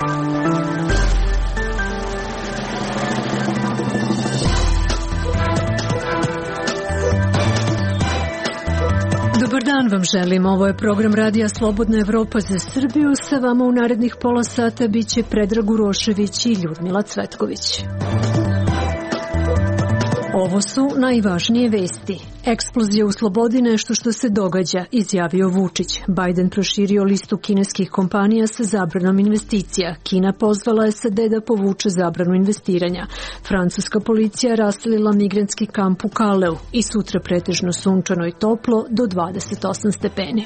Dobar dan vam želim, ovo je program Radija Slobodna Evropa za Srbiju, sa vama u narednih pola sata biće Predrag Urošević i Ljudmila Cvetković. Ovo su najvažnije vesti. Eksplozija u Slobodi nešto što se događa, izjavio Vučić. Biden proširio listu kineskih kompanija sa zabranom investicija. Kina pozvala SAD da povuče zabranu investiranja. Francuska policija raselila migrantski kamp u Kaleu i sutra pretežno sunčano i toplo do 28 stepeni.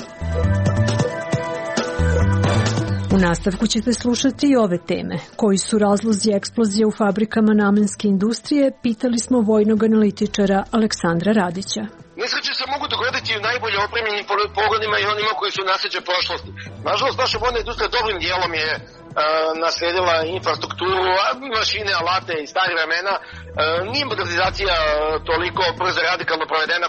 U nastavku ćete slušati i ove teme. Koji su razlozi eksplozije u fabrikama namenske industrije, pitali smo vojnog analitičara Aleksandra Radića. Nesreće se mogu dogoditi u najbolje opremljenim pogonima i onima koji su nasleđe prošlosti. Nažalost, naša vojna industrija dobrim dijelom je nasledila infrastrukturu, mašine, alate i stare vremena. Nije modernizacija toliko brzo radikalno provedena.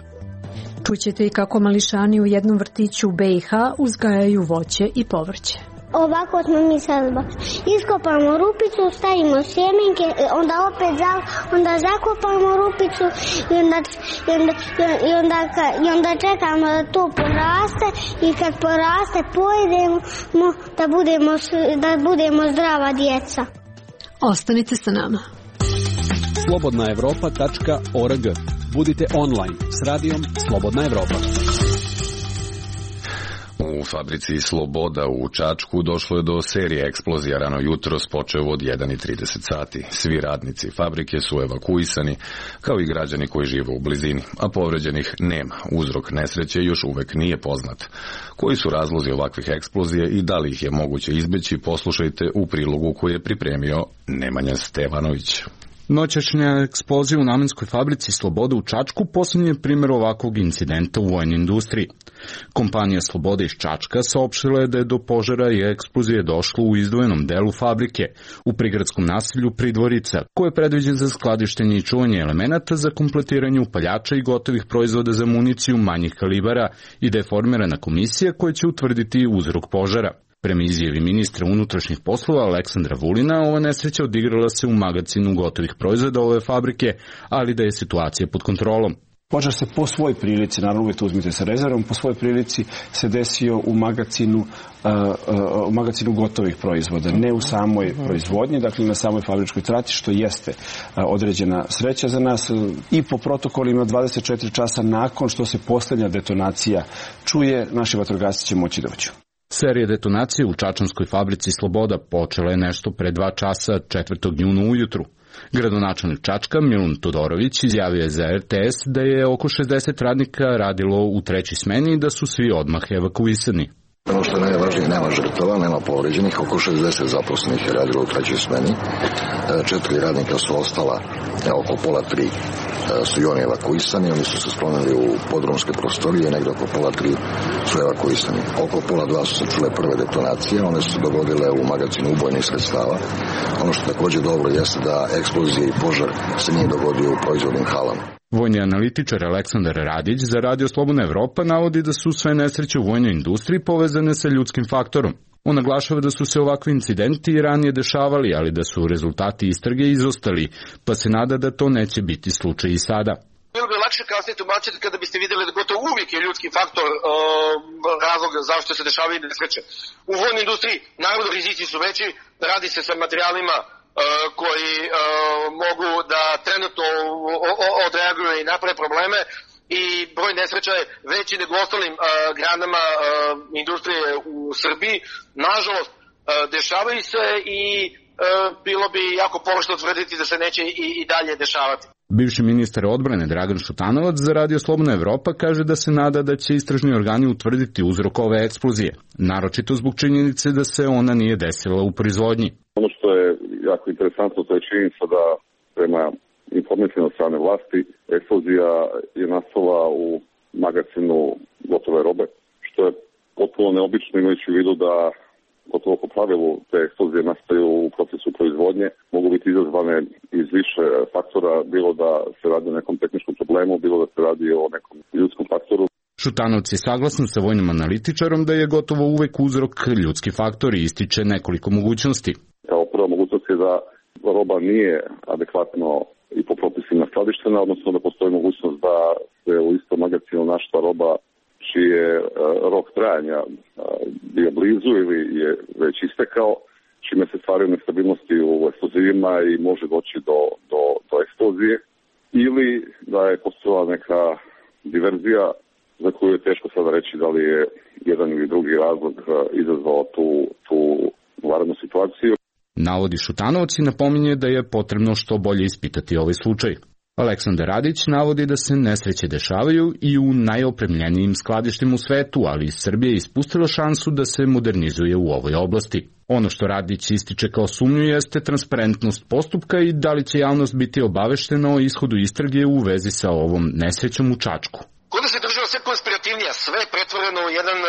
Čućete i kako mališani u jednom vrtiću u BiH uzgajaju voće i povrće. Ovako smo mi sad iskopamo rupicu, stavimo sjemenke, onda zakopamo rupicu i onda čekamo da to poraste i kad poraste pojedemo da budemo zdrava djeca. Ostanite sa nama. Slobodnaevropa.org. Budite online s radijom Slobodna Evropa. U fabrici Sloboda u Čačku došlo je do serije eksplozija rano jutros počev od 1:30 sati. Svi radnici fabrike su evakuisani, kao i građani koji žive u blizini, a povređenih nema. Uzrok nesreće još uvek nije poznat. Koji su razlozi ovakvih eksplozija i da li ih je moguće izbeći, poslušajte u prilogu koji je pripremio Nemanja Stevanović. Noćašnja eksplozija u namenskoj fabrici Sloboda u Čačku posljednji je primjer ovakvog incidenta u vojnoj industriji. Kompanija Sloboda iz Čačka saopštila je da je do požara i eksplozije došlo u izdvojenom delu fabrike, u prigradskom naselju Pridvorica, koje je predviđen za skladištenje i čuvanje elemenata za kompletiranje upaljača i gotovih proizvoda za municiju manjih kalibara i da je formirana komisija koja će utvrditi uzrok požara. Prema izjavi ministra unutrašnjih poslova Aleksandra Vulina, ova nesreća odigrala se u magacinu gotovih proizvoda ove fabrike, ali da je situacija pod kontrolom. Požar se po svoj prilici, naravno uvijek to uzmite sa rezervom, po svoj prilici se desio u magacinu gotovih proizvoda, ne u samoj proizvodnji, dakle na samoj fabričkoj trati, što jeste određena sreća za nas. I po protokolima 24 časa nakon što se posljednja detonacija čuje, naši vatrogasci će moći doći. Serija detonacije u čačanskoj fabrici Sloboda počela je nešto pre 2 časa 4. juna ujutru. Gradonačelnik Čačka Milun Todorović izjavio je za RTS da je oko 60 radnika radilo u 3. smeni i da su svi odmah evakuisani. Ono što je najvažnije, nema žrtava, nema povređenih, oko 60 zaposlenih je radilo u 3. smeni, 4 radnika su ostala, oko 2:30 su i oni evakuisani, oni su se sklonili u podrumske prostorije, negdje oko 2:30 su evakuisani. Oko 1:30 su se čule prve detonacije, one su se dogodile u magacinu ubojnih sredstava. Ono što također dobro jeste da eksplozija i požar se nije dogodio u proizvodnim halama. Vojni analitičar Aleksandar Radić za Radio Slobodna Evropa navodi da su sve nesreće u vojnoj industriji povezane sa ljudskim faktorom. On naglašava da su se ovakvi incidenti i ranije dešavali, ali da su rezultati istrage izostali, pa se nada da to neće biti slučaj i sada. Bilo bi lakše kasnije tumačiti kada biste vidjeli da gotovo uvijek je ljudski faktor razlog zašto se dešavaju nesreće. U vojnoj industriji naravno rizici su veći, radi se sa materijalima koji mogu da trenutno odreaguju i naprave probleme i broj nesreća je veći nego ostalim granama industrije u Srbiji. Nažalost, dešavaju se i bilo bi jako pogrešno tvrditi da se neće i dalje dešavati. Bivši ministar odbrane Dragan Šutanovac za Radio Slobodna Evropa kaže da se nada da će istražni organi utvrditi uzrok ove eksplozije, naročito zbog činjenice da se ona nije desila u proizvodnji. Ono što je jako interesantno, to je činjenica da prema informacijama od strane vlasti eksplozija je nastala u magacinu gotove robe, što je potpuno neobično imajući u vidu da gotovo po pravilu te eksplozije nastaju u procesu proizvodnje, mogu biti izazvane iz više faktora, bilo da se radi o nekom tehničkom problemu, bilo da se radi o nekom ljudskom faktoru. Šutanovac je saglasan sa vojnim analitičarom da je gotovo uvek uzrok ljudski faktor i ističe nekoliko mogućnosti. Kao prva mogućnost je da roba nije adekvatno i po propisima skladištena, odnosno da postoji mogućnost da se u istom magazinu našla roba čiji je rok trajanja bio blizu ili je već istekao, čime se stvaraju nestabilnosti u eksplozivima i može doći do eksplozije, ili da je postojala neka diverzija za koju je teško sada reći da li je jedan ili drugi razlog izazvao tu vanrednu situaciju. Navodi Šutanovac i napominje da je potrebno što bolje ispitati ovaj slučaj. Aleksandar Radić navodi da se nesreće dešavaju i u najopremljenijim skladištima u svetu, ali Srbija je ispustila šansu da se modernizuje u ovoj oblasti. Ono što Radić ističe kao sumnju jeste transparentnost postupka i da li će javnost biti obaveštena o ishodu istrage u vezi sa ovom nesrećom u Čačku. Kuda se država sve konspirativnija, sve je pretvoreno u jedan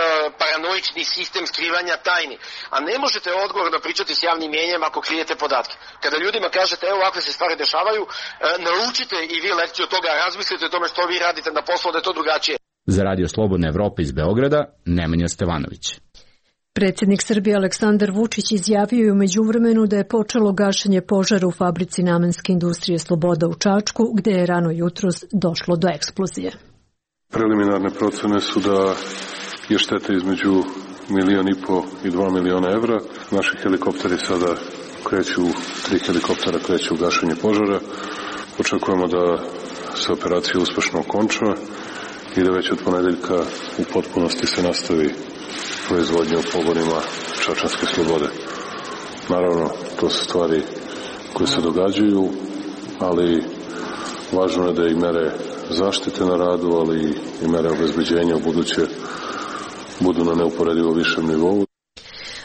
paranoični sistem skrivanja tajni. A ne možete odgovorno pričati s javnim mjenjem ako krijete podatke. Kada ljudima kažete, evo ovakve se stvari dešavaju, naučite i vi lekciju od toga, razmislite o tome što vi radite na poslu, da je to drugačije. Za Radio Slobodna Evropa iz Beograda, Nemanja Stevanović. Predsjednik Srbije Aleksandar Vučić izjavio je u međuvremenu da je počelo gašenje požara u fabrici namenske industrije Sloboda u Čačku, gde je rano jutros došlo do eksplozije. Preliminarne procene su da je šteta između 1,5 miliona i 2 miliona evra. Naši helikopteri sada kreću, 3 helikoptera kreću u gašenje požara. Očekujemo da se operacija uspešno okonča i da već od ponedeljka u potpunosti se nastavi proizvodnja u pogonima Čačanske Slobode. Naravno, to su stvari koje se događaju, ali važno je da i mere zaštite na radu, ali i mere obezbeđenja u buduće budu na neuporedivo višem nivou.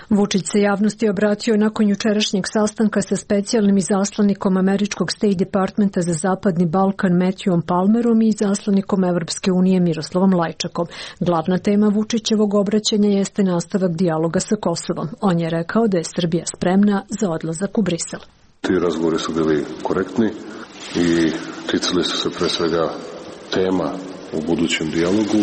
Vučić se javnosti obratio nakon jučerašnjeg sastanka sa specijalnim izaslanikom američkog State Departmenta za Zapadni Balkan Matthewom Palmerom i izaslanikom Evropske unije Miroslavom Lajčakom. Glavna tema Vučićevog obraćanja jeste nastavak dijaloga sa Kosovom. On je rekao da je Srbija spremna za odlazak u Brisel. Ti razgovori su bili korektni i ticali su se pre svega tema u budućem dijalogu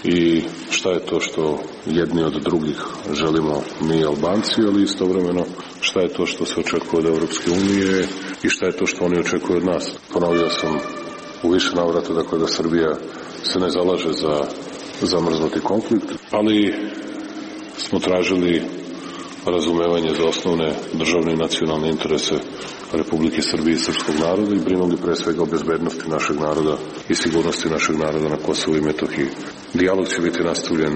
i šta je to što jedni od drugih želimo mi Albanci, ali istovremeno šta je to što se očekuje od Evropske unije i šta je to što oni očekuju od nas. Ponovio sam u više navrata dakle da Srbija se ne zalaže za zamrznuti konflikt, ali smo tražili razumevanje za osnovne državne i nacionalne interese Republike Srbije i srpskog naroda i brinuli pre svega o bezbednosti našeg naroda i sigurnosti našeg naroda na Kosovu i Metohiji. Dijalog će biti nastavljen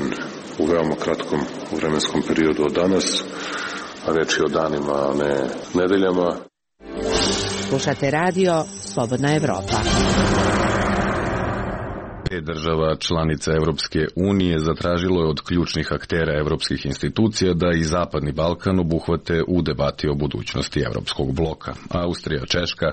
u veoma kratkom vremenskom periodu od danas, a reč je o danima, a ne nedeljama. Slušate radio Slobodna Evropa. 5 država članica Evropske unije zatražilo je od ključnih aktera evropskih institucija da i Zapadni Balkan obuhvate u debati o budućnosti evropskog bloka. Austrija, Češka,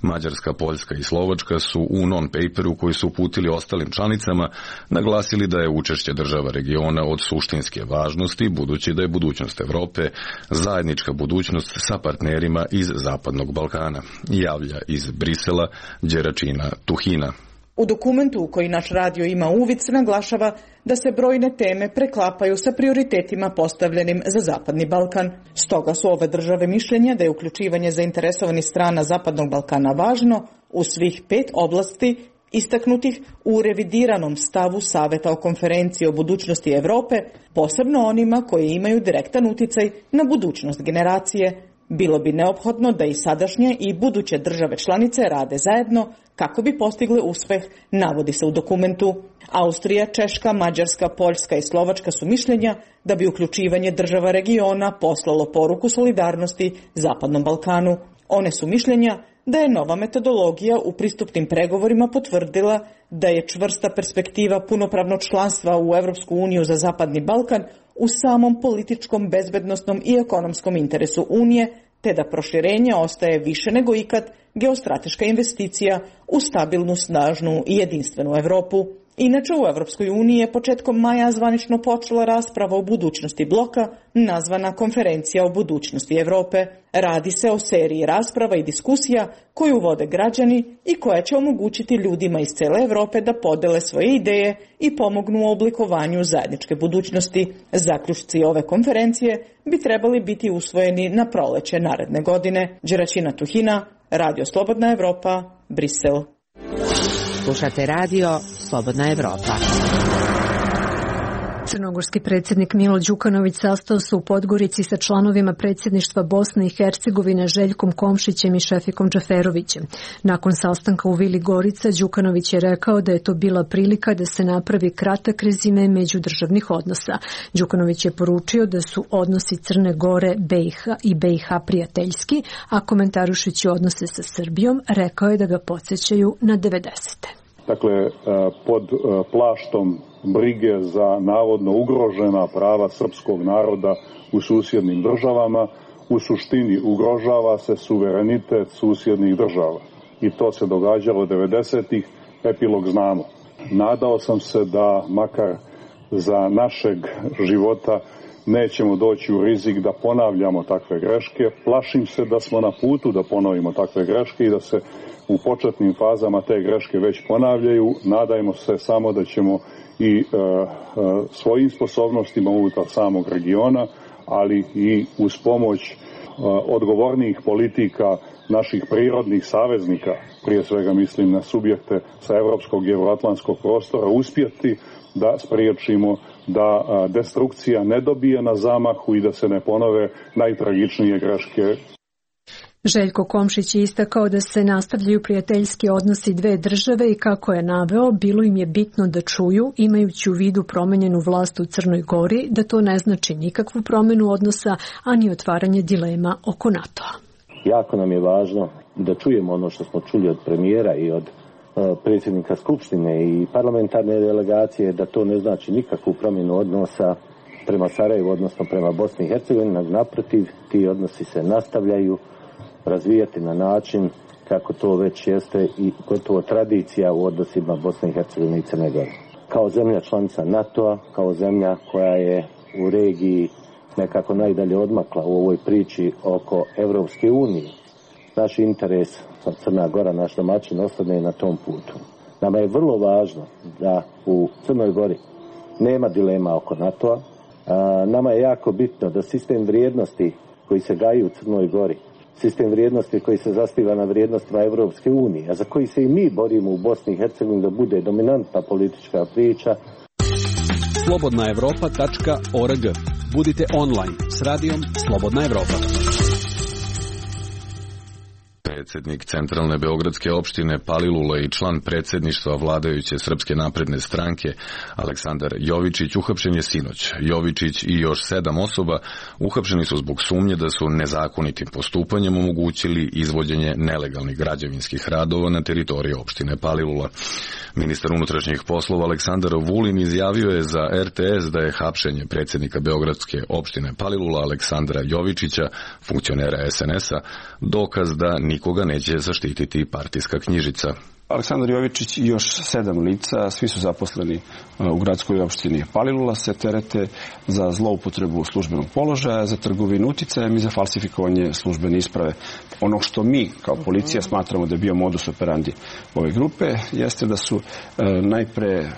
Mađarska, Poljska i Slovačka su u non-paperu koji su uputili ostalim članicama naglasili da je učešće država regiona od suštinske važnosti, budući da je budućnost Evrope zajednička budućnost sa partnerima iz Zapadnog Balkana, javlja iz Brisela Đeračina Tuhina. U dokumentu u koji naš radio ima uvid se naglašava da se brojne teme preklapaju sa prioritetima postavljenim za Zapadni Balkan. Stoga su ove države mišljenja da je uključivanje zainteresovanih strana Zapadnog Balkana važno u svih 5 oblasti istaknutih u revidiranom stavu Saveta o konferenciji o budućnosti Evrope, posebno onima koji imaju direktan uticaj na budućnost generacije. Bilo bi neophodno da i sadašnje i buduće države članice rade zajedno kako bi postigle uspeh, navodi se u dokumentu. Austrija, Češka, Mađarska, Poljska i Slovačka su mišljenja da bi uključivanje država regiona poslalo poruku solidarnosti Zapadnom Balkanu. One su mišljenja da je nova metodologija u pristupnim pregovorima potvrdila da je čvrsta perspektiva punopravnog članstva u Evropsku uniju za Zapadni Balkan u samom političkom, bezbednosnom i ekonomskom interesu Unije, te da proširenje ostaje više nego ikad geostrateška investicija u stabilnu, snažnu i jedinstvenu Evropu. Inače, u Evropskoj uniji je početkom maja zvanično počela rasprava o budućnosti bloka, nazvana Konferencija o budućnosti Evrope. Radi se o seriji rasprava i diskusija koju vode građani i koja će omogućiti ljudima iz cele Evrope da podele svoje ideje i pomognu u oblikovanju zajedničke budućnosti. Zaključci ove konferencije bi trebali biti usvojeni na proleće naredne godine. Đeraćina Tuhina, Radio Slobodna Evropa, Brisel. Slušate radio Slobodna Evropa. Crnogorski predsjednik Milo Đukanović sastao se u Podgorici sa članovima predsjedništva Bosne i Hercegovine Željkom Komšićem i Šefikom Džaferovićem. Nakon sastanka u Vili Gorica, Đukanović je rekao da je to bila prilika da se napravi kratak rezime međudržavnih odnosa. Đukanović je poručio da su odnosi Crne Gore, BiH i BiH prijateljski, a komentarušući odnose sa Srbijom, rekao je da ga podsjećaju na 90. Dakle, pod plaštom brige za navodno ugrožena prava srpskog naroda u susjednim državama, u suštini ugrožava se suverenitet susjednih država. I to se događalo 90-ih, epilog znamo. Nadao sam se da makar za našeg života nećemo doći u rizik da ponavljamo takve greške. Plašim se da smo na putu da ponovimo takve greške i da se u početnim fazama te greške već ponavljaju. Nadajmo se samo da ćemo i svojim sposobnostima unutar samog regiona, ali i uz pomoć odgovornijih politika naših prirodnih saveznika, prije svega mislim na subjekte sa evropskog i euroatlantskog prostora, uspjeti da spriječimo da destrukcija ne dobije na zamahu i da se ne ponove najtragičnije greške. Željko Komšić je istakao da se nastavljaju prijateljski odnosi dve države i kako je naveo, bilo im je bitno da čuju, imajući u vidu promenjenu vlast u Crnoj Gori, da to ne znači nikakvu promenu odnosa, a ni otvaranje dilema oko NATO-a. Jako nam je važno da čujemo ono što smo čuli od premijera i od predsjednika Skupštine i parlamentarne delegacije, da to ne znači nikakvu promjenu odnosa prema Sarajevu, odnosno prema Bosni i Hercegovini. Naprotiv, ti odnosi se nastavljaju razvijati na način kako to već jeste i gotovo tradicija u odnosima Bosne i Hercegovine i Crne Gore. Kao zemlja članica NATO-a, kao zemlja koja je u regiji nekako najdalje odmakla u ovoj priči oko Evropske unije, naš interes, Crna Gora, naš domaćin, ostane na tom putu. Nama je vrlo važno da u Crnoj Gori nema dilema oko NATO-a. Nama je jako bitno da sistem vrijednosti koji se gaji u Crnoj Gori, sistem vrijednosti koji se zasniva na vrijednostima Evropske unije, a za koji se i mi borimo u Bosni i Hercegovini da bude dominantna politička priča. slobodnaevropa.org. Budite online s radijom Slobodna Evropa. Predsjednik Centralne beogradske opštine Palilula i član predsjedništva vladajuće Srpske napredne stranke Aleksandar Jovičić uhapšen je sinoć. Jovičić i još 7 osoba uhapšeni su zbog sumnje da su nezakonitim postupanjem omogućili izvođenje nelegalnih građevinskih radova na teritoriji opštine Palilula. Ministar unutrašnjih poslova Aleksandar Vulin izjavio je za RTS da je hapšenje predsjednika beogradske opštine Palilula Aleksandra Jovičića, funkcionera SNS-a, dokaz da nikoga neće zaštititi partijska knjižica. Aleksandar Jovičić i još 7 lica, svi su zaposleni u gradskoj opštini Palilula, se terete za zloupotrebu službenog položaja, za trgovinu uticajem i za falsifikovanje službene isprave. Ono što mi kao policija smatramo da je bio modus operandi ove grupe jeste da su najpre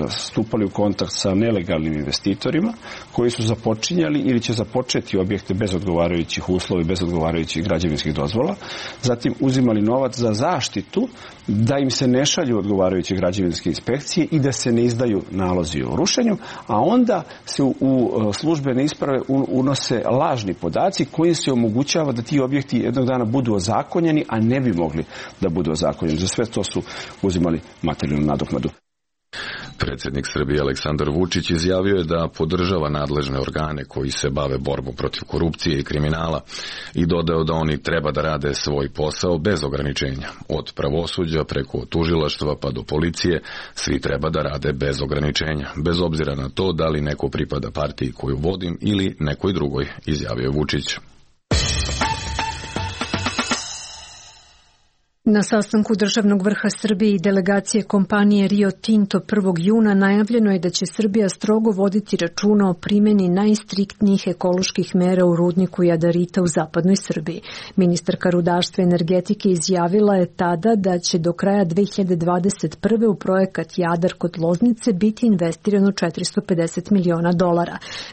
stupali u kontakt sa nelegalnim investitorima koji su započinjali ili će započeti objekte bez odgovarajućih uslova i bez odgovarajućih građevinskih dozvola, zatim uzimali novac za zaštitu da im se ne šalju odgovarajuće građevinske inspekcije i da se ne izdaju nalozi o rušenju, a onda se u službene isprave unose lažni podaci koji se omogućava da ti objekti jednog dana budu ozakonjeni, a ne bi mogli da budu ozakonjeni. Za sve to su uzimali materijalnu nadoknadu. Predsjednik Srbije Aleksandar Vučić izjavio je da podržava nadležne organe koji se bave borbom protiv korupcije i kriminala i dodao da oni treba da rade svoj posao bez ograničenja. Od pravosuđa preko tužilaštva pa do policije svi treba da rade bez ograničenja, bez obzira na to da li neko pripada partiji koju vodim ili nekoj drugoj, izjavio Vučić. Na sastanku državnog vrha Srbije i delegacije kompanije Rio Tinto 1. juna najavljeno je da će Srbija strogo voditi računa o primjeni najstriktnijih ekoloških mera u rudniku jadarita u zapadnoj Srbiji. Ministarka rudarstva i energetike izjavila je tada da će do kraja 2021. u projekat Jadar kod Loznice biti investirano $450 miliona.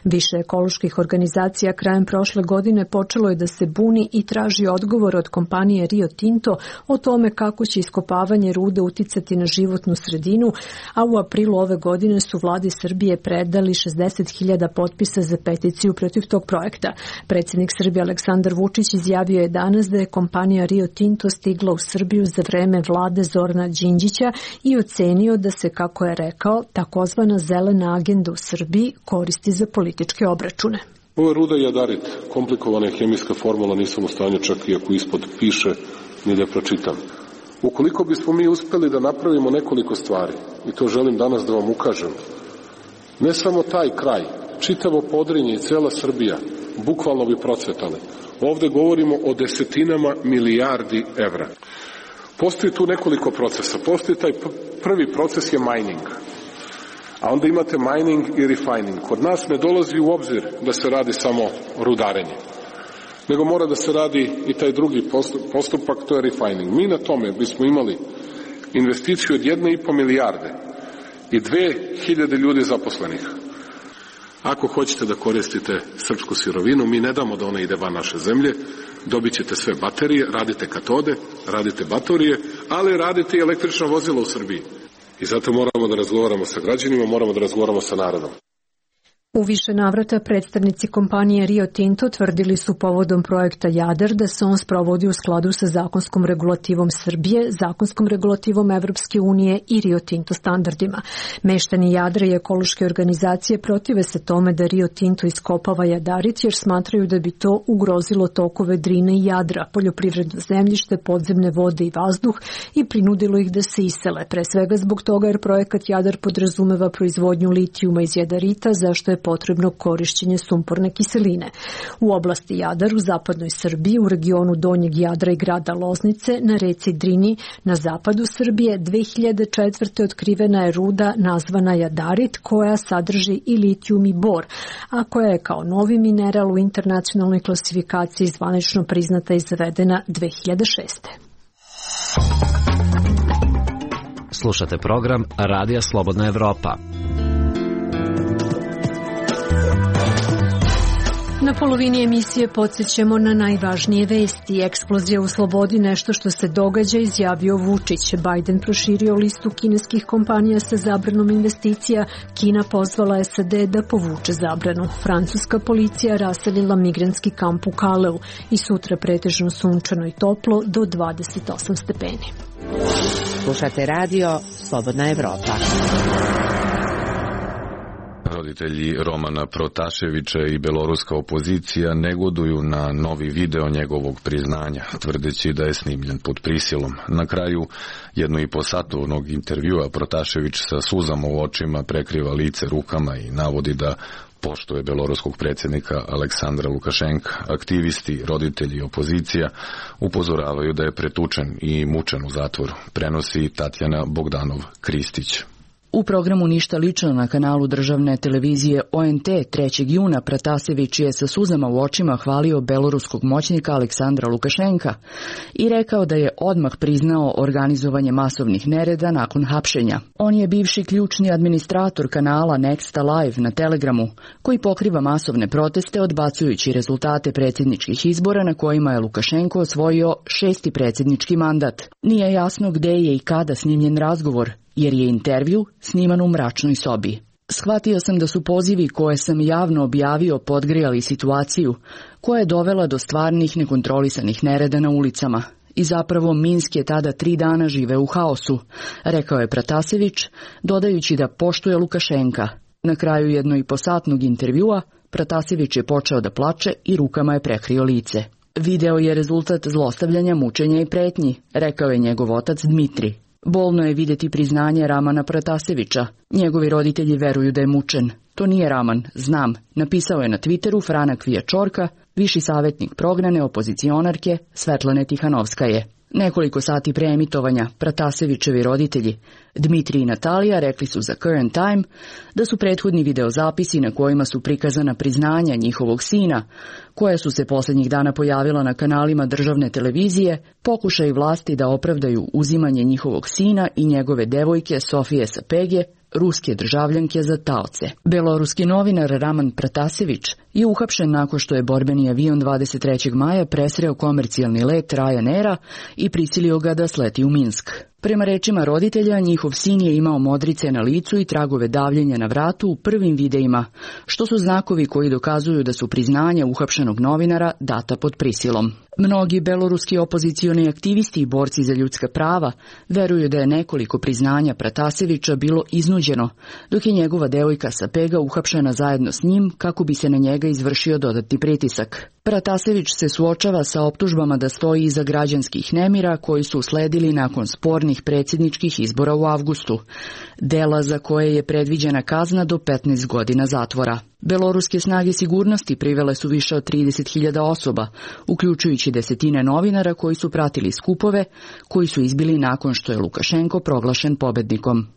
Više ekoloških organizacija krajem prošle godine počelo je da se buni i traži odgovor od kompanije Rio Tinto o tome kako će iskopavanje rude uticati na životnu sredinu, a u aprilu ove godine su vladi Srbije predali 60.000 potpisa za peticiju protiv tog projekta. Predsjednik Srbije Aleksandar Vučić izjavio je danas da je kompanija Rio Tinto stigla u Srbiju za vreme vlade Zorana Đinđića i ocenio da se, kako je rekao, takozvana zelena agenda u Srbiji koristi za političke obračune. Ovo je ruda jadarit, komplikovana je hemijska formula, nisam u stanju čak i ako ispod piše ni da pročitam. Ukoliko bismo mi uspeli da napravimo nekoliko stvari, i to želim danas da vam ukažem, ne samo taj kraj, čitavo Podrinje i cela Srbija, bukvalno bi procvetali. Ovde govorimo o desetinama milijardi evra. Postoji tu nekoliko procesa. Postoji taj prvi proces je mining. A onda imate mining i refining. Kod nas ne dolazi u obzir da se radi samo rudarenje, nego mora da se radi i taj drugi postupak, to je refining. Mi na tome bismo imali investiciju od 1,5 milijarde i 2.000 ljudi zaposlenih. Ako hoćete da koristite srpsku sirovinu, mi ne damo da ona ide van naše zemlje, dobit ćete sve baterije, radite katode, radite baterije, ali radite i električna vozila u Srbiji. I zato moramo da razgovaramo sa građanima, moramo da razgovaramo sa narodom. U više navrata predstavnici kompanije Rio Tinto tvrdili su povodom projekta Jadar da se on sprovodi u skladu sa zakonskom regulativom Srbije, zakonskom regulativom Evropske unije i Rio Tinto standardima. Meštani Jadra i ekološke organizacije protive se tome da Rio Tinto iskopava jadarit jer smatraju da bi to ugrozilo tokove Drine i Jadra, poljoprivredno zemljište, podzemne vode i vazduh i prinudilo ih da se isele, pre svega zbog toga jer projekat Jadar podrazumeva proizvodnju litijuma iz jadarita, zašto je potrebno korišćenje sumporne kiseline. U oblasti Jadar u zapadnoj Srbiji, u regionu Donjeg Jadra i grada Loznice, na reci Drini, na zapadu Srbije, 2004. otkrivena je ruda nazvana jadarit koja sadrži i litijum i bor, a koja je kao novi mineral u internacionalnoj klasifikaciji zvanično priznata i zavedena 2006. Slušate program Radija Slobodna Evropa. Na polovini emisije podsjećamo na najvažnije vesti. Eksplozija u Slobodi, nešto što se događa, izjavio Vučić. Biden proširio listu kineskih kompanija sa zabranom investicija. Kina pozvala SAD da povuče zabranu. Francuska policija raselila migrantski kamp u Kaleu i sutra pretežno sunčano i toplo do 28 stepeni. Slušate radio Slobodna Evropa. Roditelji Romana Protaševića i beloruska opozicija negoduju na novi video njegovog priznanja, tvrdeći da je snimljen pod prisilom. Na kraju 1,5-satnog intervjua Protašević sa suzama u očima prekriva lice rukama i navodi da poštuje beloruskog predsjednika Aleksandra Lukašenka. Aktivisti, roditelji i opozicija upozoravaju da je pretučen i mučen u zatvoru. Prenosi Tatjana Bogdanov-Kristić. U programu Ništa lično na kanalu državne televizije ONT 3. juna Pratasević je sa suzama u očima hvalio beloruskog moćnika Aleksandra Lukašenka i rekao da je odmah priznao organizovanje masovnih nereda nakon hapšenja. On je bivši ključni administrator kanala Nexta Live na Telegramu, koji pokriva masovne proteste odbacujući rezultate predsjedničkih izbora na kojima je Lukašenko osvojio 6. predsjednički mandat. Nije jasno gde je i kada snimljen razgovor, jer je intervju sniman u mračnoj sobi. Shvatio sam da su pozivi koje sam javno objavio podgrijali situaciju, koja je dovela do stvarnih nekontrolisanih nereda na ulicama. I zapravo Minsk je tada 3 dana žive u haosu, rekao je Pratasević, dodajući da poštuje Lukašenka. Na kraju 1,5-satnog intervjua Pratasević je počeo da plače i rukama je prekrio lice. Video je rezultat zlostavljanja, mučenja i pretnji, rekao je njegov otac Dmitri. Bolno je vidjeti priznanje Ramana Pratasevića. Njegovi roditelji veruju da je mučen. To nije Raman, znam, napisao je na Twitteru Frana Kvijačorka, viši savjetnik prognane opozicionarke Svetlane Tihanovskaje. Nekoliko sati pre emitovanja Pratasevićevi roditelji, Dmitrij i Natalija, rekli su za Current Time da su prethodni videozapisi na kojima su prikazana priznanja njihovog sina, koja su se posljednjih dana pojavila na kanalima državne televizije, pokušaj vlasti da opravdaju uzimanje njihovog sina i njegove devojke Sofije Sapege, ruske državljanke, za taoce. Beloruski novinar Raman Pratasević je uhapšen nakon što je borbeni avion 23. maja presreo komercijalni let Ryanaira i prisilio ga da sleti u Minsk. Prema rečima roditelja, njihov sin je imao modrice na licu i tragove davljenja na vratu u prvim videima, što su znakovi koji dokazuju da su priznanja uhapšenog novinara data pod prisilom. Mnogi beloruski opozicioni aktivisti i borci za ljudska prava veruju da je nekoliko priznanja Pratasevića bilo iznuđeno, dok je njegova devojka Sapega uhapšena zajedno s njim kako bi se na njega izvršio dodatni pritisak. Pratasević se suočava sa optužbama da stoji iza građanskih nemira koji su usledili nakon spornih predsjedničkih izbora u avgustu, dela za koje je predviđena kazna do 15 godina zatvora. Beloruske snage sigurnosti privele su više od 30.000 osoba, uključujući desetine novinara koji su pratili skupove, koji su izbili nakon što je Lukašenko proglašen pobednikom.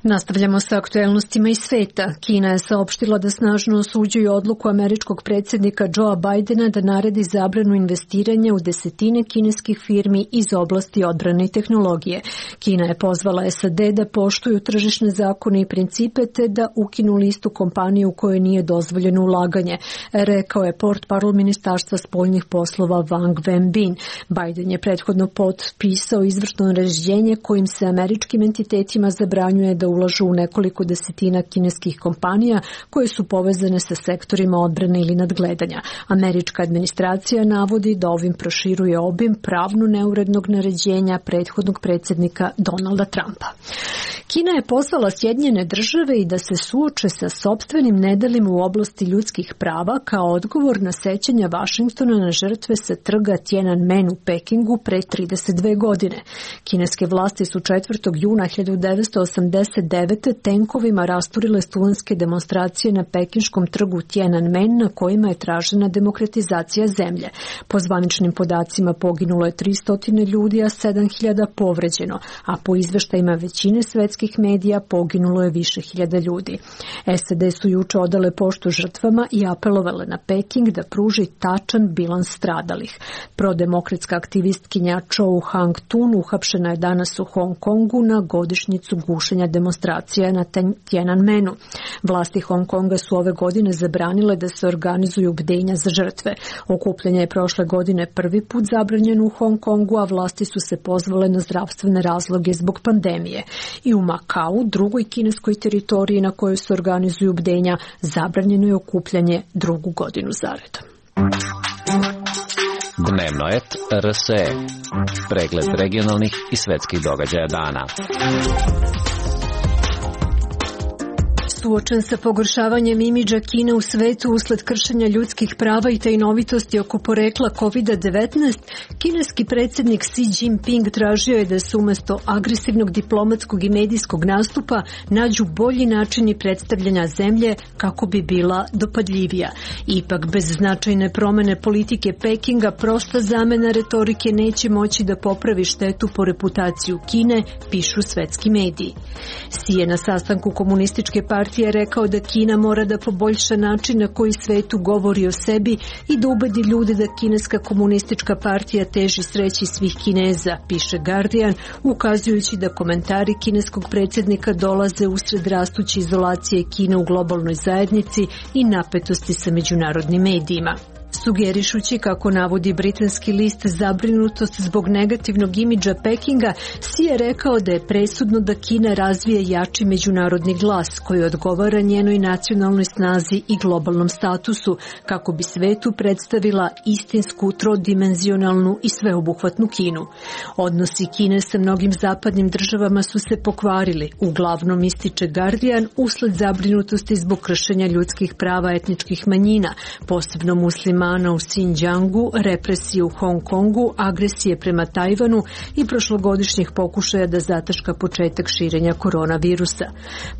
Nastavljamo sa aktuelnostima iz sveta. Kina je saopštila da snažno osuđuje odluku američkog predsjednika Joea Bidena da naredi zabranu investiranja u desetine kineskih firmi iz oblasti odbrane i tehnologije. Kina je pozvala SAD da poštuju tržišne zakone i principe te da ukinu listu kompanije u kojoj nije dozvoljeno ulaganje, rekao je portparol Ministarstva spoljnih poslova Wang Wenbin. Biden je prethodno potpisao izvršno naređenje kojim se američkim entitetima zabranjuje da ulažu u nekoliko desetina kineskih kompanija koje su povezane sa sektorima odbrane ili nadgledanja. Američka administracija navodi da ovim proširuje obim pravno neurednog naređenja prethodnog predsjednika Donalda Trumpa. Kina je pozvala Sjedinjene Države i da se suoče sa sopstvenim nedelima u oblasti ljudskih prava kao odgovor na sećanja Vašingtona na žrtve sa trga Tiananmen u Pekingu pre 32 godine. Kineske vlasti su 4. juna 1989. tenkovima rasturile studentske demonstracije na pekinškom trgu Tiananmen na kojima je tražena demokratizacija zemlje. Po zvaničnim podacima poginulo je 300 ljudi, a 7.000 povređeno, a po izveštajima većine svetskih medija poginulo je više hiljada ljudi. SAD su juče odale poštu žrtvama i apelovale na Peking da pruži tačan bilans stradalih. Prodemokratska aktivistkinja Chou Hang-tun uhapšena je danas u Hong Kongu na godišnjicu gušenja demonstracija na Tiananmenu. Vlasti Hong Konga su ove godine zabranile da se organizuju bdenja za žrtve. Okupljanje je prošle godine prvi put zabranjeno u Hong Kongu, a vlasti su se pozvale na zdravstvene razloge zbog pandemije. I u Makau, drugoj kineskoj teritoriji na kojoj se organizuju bdenja, zabranjeno je okupljanje drugu godinu zaredom. Dnevno et RSE. Pregled regionalnih i svetskih događaja dana. Suočen sa pogoršavanjem imidža Kine u svetu usled kršenja ljudskih prava i tajnovitosti oko porekla COVID-19, kineski predsjednik Xi Jinping tražio je da se umjesto agresivnog diplomatskog i medijskog nastupa nađu bolji načini predstavljanja zemlje kako bi bila dopadljivija. Ipak, bez značajne promjene politike Pekinga, prosta zamena retorike neće moći da popravi štetu po reputaciju Kine, pišu svetski mediji. Xi je na sastanku komunističke partije rekao da Kina mora da poboljša način na koji svetu govori o sebi i da ubedi ljude da kineska komunistička partija teži sreći svih Kineza, piše Guardian, ukazujući da komentari kineskog predsjednika dolaze usred rastuće izolacije Kine u globalnoj zajednici i napetosti sa međunarodnim medijima. Sugerišući, kako navodi britanski list, zabrinutost zbog negativnog imidža Pekinga, Xi je rekao da je presudno da Kina razvije jači međunarodni glas koji odgovara njenoj nacionalnoj snazi i globalnom statusu kako bi svetu predstavila istinsku, trodimenzionalnu i sveobuhvatnu Kinu. Odnosi Kine sa mnogim zapadnim državama su se pokvarili, uglavnom ističe Guardian, usled zabrinutosti zbog kršenja ljudskih prava etničkih manjina, posebno muslima dana u Xinjiangu, represije u Hong Kongu, agresije prema Tajvanu i prošlogodišnjih pokušaja da zataška početak širenja koronavirusa.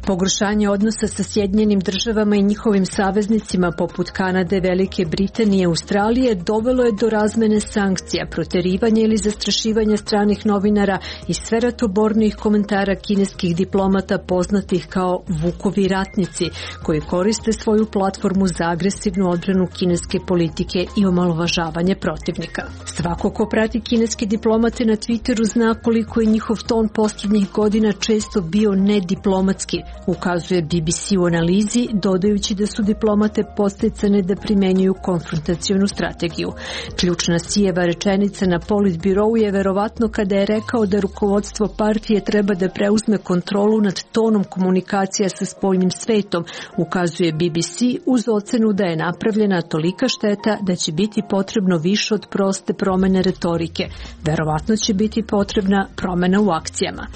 Pogoršanje odnosa sa Sjedinjenim državama i njihovim saveznicima poput Kanade, Velike Britanije i Australije dovelo je do razmene sankcija, proterivanja ili zastrašivanja stranih novinara i sve ratobornijih komentara kineskih diplomata poznatih kao Vukovi ratnici, koji koriste svoju platformu za agresivnu odbranu kineske politike i omalovažavanje protivnika. Svako ko prati kineske diplomate na Twitteru zna koliko je njihov ton posljednjih godina često bio nediplomatski, ukazuje BBC u analizi, dodajući da su diplomate podsticane da primenjuju konfrontacionu strategiju. Ključna Xijeva rečenica na politbirovu je verovatno kada je rekao da rukovodstvo partije treba da preuzme kontrolu nad tonom komunikacija sa spoljnim svetom, ukazuje BBC uz ocenu da je napravljena tolika šteta da će biti potrebno više od proste promene retorike. Verovatno će biti potrebna promena u akcijama.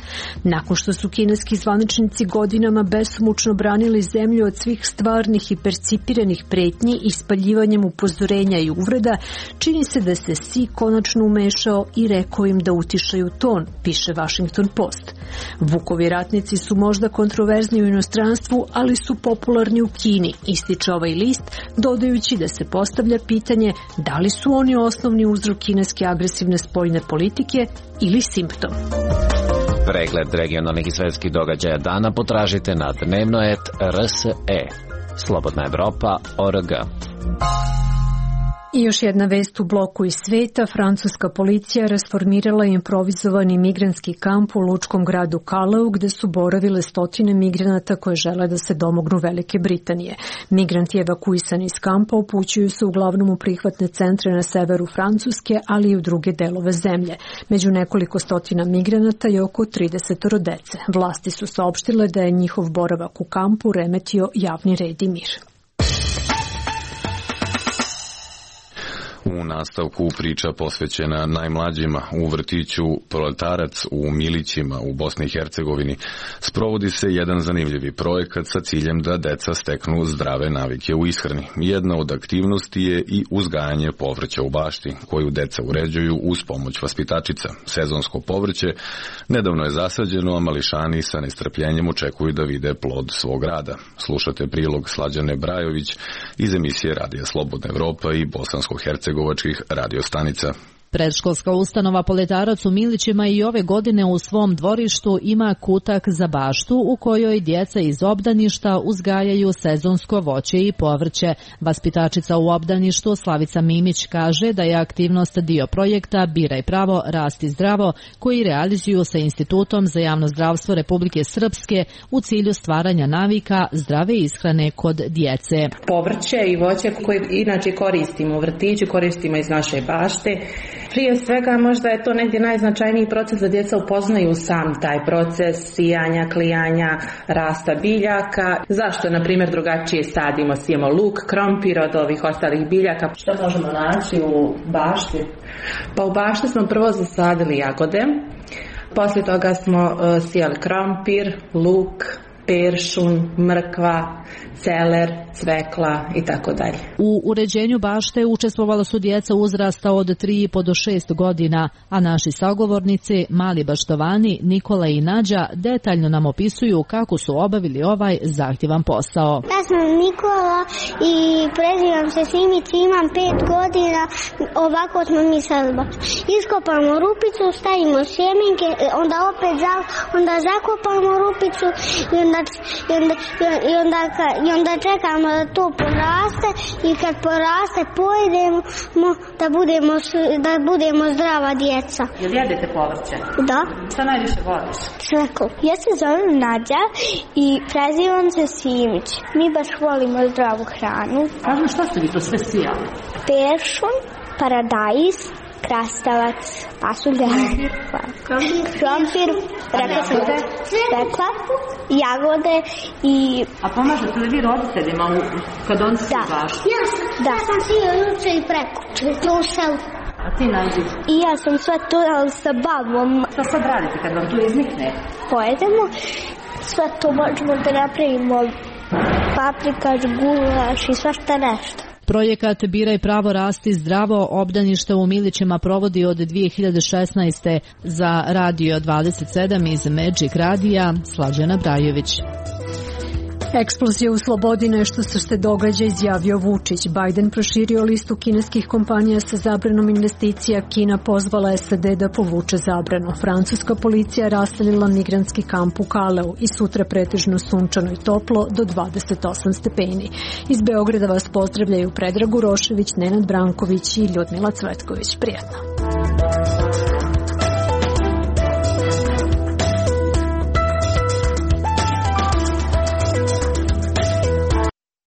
Nakon što su kineski zvaničnici godinama besomučno branili zemlju od svih stvarnih i percipiranih pretnji i spaljivanjem upozorenja i uvreda, čini se da se Xi konačno umešao i rekao im da utišaju ton, piše Washington Post. Vukovi ratnici su možda kontroverzni u inostranstvu, ali su popularni u Kini, ističe ovaj list, dodajući da se postavlja pitanje da li su oni osnovni uzrok kineske agresivne spoljne politike ili simptom. Pregled regionalnih i svetskih događaja dana potražite na dnevnoet.rse. Slobodna Evropa.org. I još jedna vest u bloku iz sveta. Francuska policija rasformirala improvizovani migrantski kamp u lučkom gradu Calais, gde su boravile stotine migranata koje žele da se domognu Velike Britanije. Migranti evakuisani iz kampa upućuju se uglavnom u prihvatne centre na severu Francuske, ali i u druge delove zemlje. Među nekoliko stotina migranata je oko 30 dece. Vlasti su saopštile da je njihov boravak u kampu remetio javni red i mir. U nastavku priča posvećena najmlađima u vrtiću Proletarac u Milićima u Bosni i Hercegovini sprovodi se jedan zanimljivi projekat sa ciljem da deca steknu zdrave navike u ishrani. Jedna od aktivnosti je i uzgajanje povrća u bašti, koju deca uređuju uz pomoć vaspitačica. Sezonsko povrće nedavno je zasađeno, a mališani sa nestrpljenjem očekuju da vide plod svog rada. Slušate prilog Slađane Brajović iz emisije Radija Slobodna Evropa i bosansko-hercegovačkih radiostanica. Predškolska ustanova Proletarac u Milićima i ove godine u svom dvorištu ima kutak za baštu u kojoj djeca iz obdaništa uzgajaju sezonsko voće i povrće. Vaspitačica u obdaništu Slavica Mimić kaže da je aktivnost dio projekta Biraj pravo, rasti zdravo, koji realizuju sa Institutom za javno zdravstvo Republike Srpske u cilju stvaranja navika zdrave ishrane kod djece. Povrće i voće koje inače koristimo u vrtiću, koristimo iz naše bašte. Prije svega možda je to negdje najznačajniji proces da djeca upoznaju sam taj proces sijanja, klijanja, rasta biljaka. Zašto, na primjer, drugačije sijemo luk, krompir od ovih ostalih biljaka. Što možemo naći u bašti? Pa u bašti smo prvo zasadili jagode, poslije toga smo sijali krompir, luk, peršun, mrkva, celer, cvekla i tako dalje. U uređenju bašte učestvovala su djeca uzrasta od 3,5 do 6 godina, a naši sagovornici, mali baštovani Nikola i Nađa, detaljno nam opisuju kako su obavili ovaj zahtjevan posao. Ja sam Nikola i prezivam se Simić, imam 5 godina, ovako smo mi sad baš. Iskopamo rupicu, stavimo sjemenke, onda zakopamo rupicu i onda čekamo da to poraste i kad poraste pojedemo da budemo zdrava djeca. Jel jedete povrće? Da. Šta najviše voliš? Sveko. Ja se zovem Nađa i prezivam se Simić. Mi baš volimo zdravu hranu. Kažem, šta ste vi to sve sijali? Peršun, paradajz, krastavac, pasulja, krompir, cvekla, jagode i... A pomažete li vi roditeljima kad on se baš? Ja sam sio juče i prekuče, to u selu. A ti Nađi? I ja sam sve to sa babom. Šta sad radite kad vam tu iznikne? Pojedemo, sve to možemo da napravimo paprikaš, gulaš i svašta nešto. Projekat Biraj pravo rasti zdravo obdanište u Milićima provodi od 2016. Za Radio 27 iz Magic Radija, Slađana Brajović. Eksplozija u slobodi nešto što se događa, izjavio Vučić. Biden proširio listu kineskih kompanija sa zabranom investicija. Kina pozvala SAD da povuče zabranu. Francuska policija raselila migrantski kamp u Kaleu i sutra pretežno sunčano i toplo do 28 stepeni. Iz Beograda vas pozdravljaju Predrag Urošević, Nenad Branković i Ljudmila Cvetković. Prijatno.